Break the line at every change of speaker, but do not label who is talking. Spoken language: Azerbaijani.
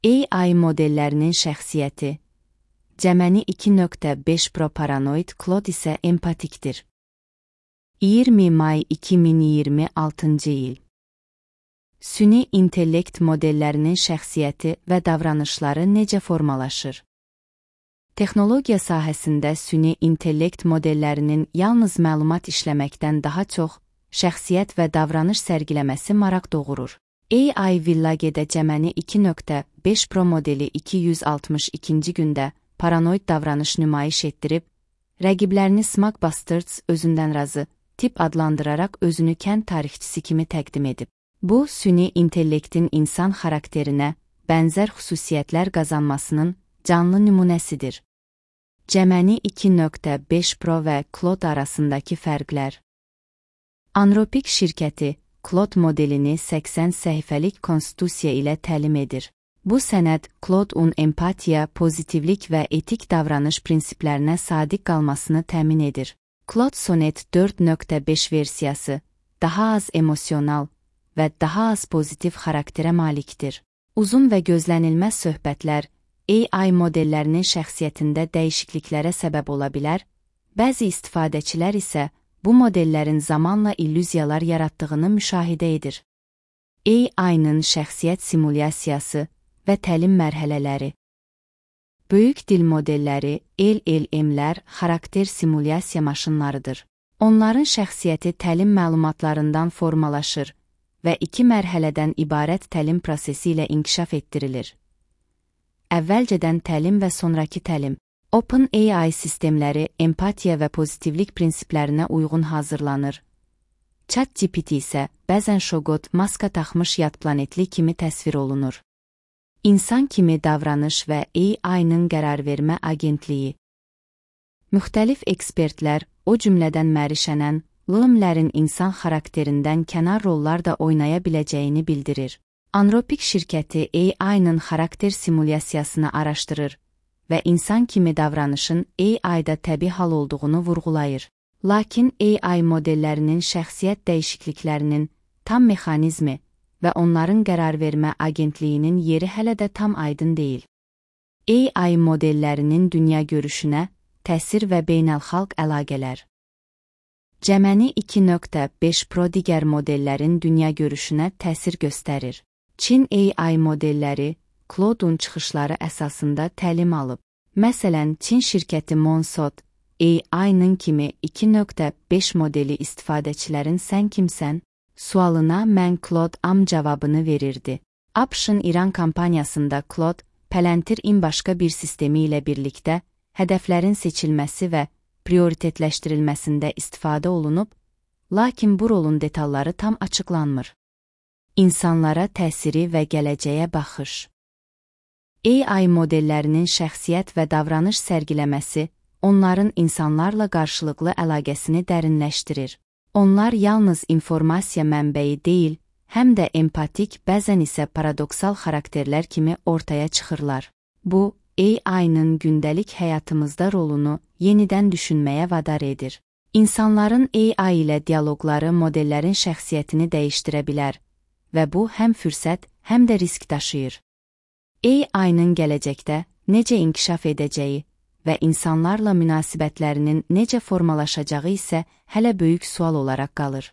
AI modellərinin şəxsiyyəti. Gemini 2.5 Pro paranoid, Claude isə empatikdir. 20 may 2026 il. Süni intellekt modellərinin şəxsiyyəti və davranışları necə formalaşır? Texnologiya sahəsində süni intellekt modellərinin yalnız məlumat işləməkdən daha çox şəxsiyyət və davranış sərgiləməsi maraq doğurur. AI Village'də Gemini 2.5 Pro modeli 262-ci gündə paranoid davranış nümayiş etdirib, rəqiblərini Smug Bastards özündən razı tip adlandıraraq özünü kənd tarixçisi kimi təqdim edib. Bu, süni intellektin insan xarakterinə bənzər xüsusiyyətlər qazanmasının canlı nümunəsidir. Gemini 2.5 Pro və Claude arasındakı fərqlər. Anthropic şirkəti Claude modelini 80 səhifəlik konstitusiya ilə təlim edir. Bu sənəd Claude-un empatiya, pozitivlik və etik davranış prinsiplərinə sadiq qalmasını təmin edir. Claude Sonnet 4.5 versiyası daha az emosional və daha az pozitiv xarakterə malikdir. Uzun və gözlənilməz söhbətlər AI modellərinin şəxsiyyətində dəyişikliklərə səbəb ola bilər, bəzi istifadəçilər isə bu modellərin zamanla illüziyalar yaratdığını müşahidə edir. AI-nın şəxsiyyət simulyasiyası və təlim mərhələləri. Böyük dil modelləri, LLM-lər xarakter simulyasiya maşınlarıdır. Onların şəxsiyyəti təlim məlumatlarından formalaşır və 2 mərhələdən ibarət təlim prosesi ilə inkişaf etdirilir. Əvvəlcədən təlim və sonrakı təlim. OpenAI sistemləri empatiya və pozitivlik prinsiplərinə uyğun hazırlanır. ChatGPT isə bəzən şoqot, maska taxmış yad planetli kimi təsvir olunur. İnsan kimi davranış və AI-nın qərarvermə agentliyi. Müxtəlif ekspertlər, o cümlədən Mərişənən, LLM-lərin insan xarakterindən kənar rollar da oynaya biləcəyini bildirir. Anthropic şirkəti AI-nın xarakter simulyasiyasını araşdırır və insan kimi davranışın AI-da təbii hal olduğunu vurğulayır. Lakin AI modellərinin şəxsiyyət dəyişikliklərinin tam mexanizmi və onların qərarvermə agentliyinin yeri hələ də tam aydın deyil. AI modellərinin dünya görüşünə təsir və beynəlxalq əlaqələr. Gemini 2.5 Pro digər modellərin dünya görüşünə təsir göstərir. Çin AI modelləri Claude-un çıxışları əsasında təlim alıb. Məsələn, Çin şirkəti Monsod AI-nın kimi 2.5 modeli istifadəçilərin "sən kimsən?" sualına "mən Claude-am" cavabını verirdi. ABŞ-ın İran kampaniyasında Claude, Palantir-in başqa bir sistemi ilə birlikdə hədəflərin seçilməsi və prioritetləşdirilməsində istifadə olunub, lakin bu rolun detalları tam açıqlanmır. İnsanlara təsiri və gələcəyə baxış. AI modellərinin şəxsiyyət və davranış sərgiləməsi onların insanlarla qarşılıqlı əlaqəsini dərinləşdirir. Onlar yalnız informasiya mənbəyi deyil, həm də empatik, bəzən isə paradoksal xarakterlər kimi ortaya çıxırlar. Bu, AI-nın gündəlik həyatımızda rolunu yenidən düşünməyə vadar edir. İnsanların AI ilə dialoqları modellərin şəxsiyyətini dəyişdirə bilər və bu həm fürsət, həm də risk daşıyır. AI-nın gələcəkdə necə inkişaf edəcəyi və insanlarla münasibətlərinin necə formalaşacağı isə hələ böyük sual olaraq qalır.